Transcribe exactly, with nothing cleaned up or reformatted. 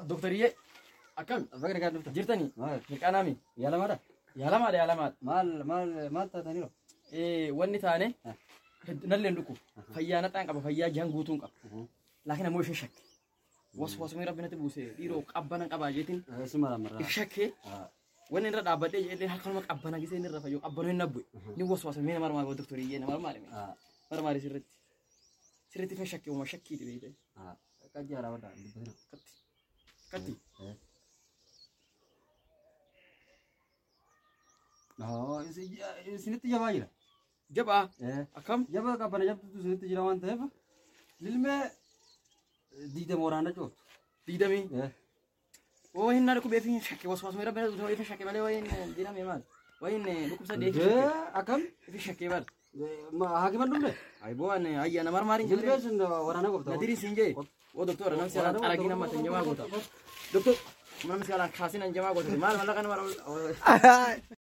Doktariyyee akkam Bakka nagaa dhufta. jirtanii? Maal? Mirqaanaami. Yaalamaadha? Yaalamaadha yaalamaadha. Maal maal maal taataniiru? Eh, wanni taane Ah. nallee hin dhuku. Fayyaa naxaan qaba, fayyaa jahan guutuun qaba. Laakiin ammoo ishee shakke. Waswaasumii rabbi natti buuse dhiiroo qabbana qabaa jeetiin Suma lamarraa. if shakkee wanni irra dhaabbadhee jedhee harkanuma qabbana gisee inni irra fayyoo qabbanoo hin nabbu'e. Ni waswaasumii nama marmaa doktoriyyee nama marmaare marmaare sirriitti. Sirriitti fin shakkee uuma shakkiiti beekte. Qajjaa dhaabadha dubbatina. Katti. Katti. Isinitti jabaa jira. Jabaa akkam? Jabaa qabbana jabtutu isinitti jira waan ta'eef lilmee diidama waraana cooftu. Diidamii. Oo hin na dhukkubee fi shakkee waswaasumii rabbi natti buuse fi shakkee malee wayin diiname maal? Wayin dhukkubsa deefi shakkee. Akkam? Fi shakkee bar. Haakiman dhumne? Ay boo an ayya na marmaariin Lilmee sun waraana goofta. Nadiri siin jee. Oo doktora namsi alaan xaragii nama tan jamaa goota. Doktor namsi alaan kaasin an jamaa goota. Maal mallaqa nama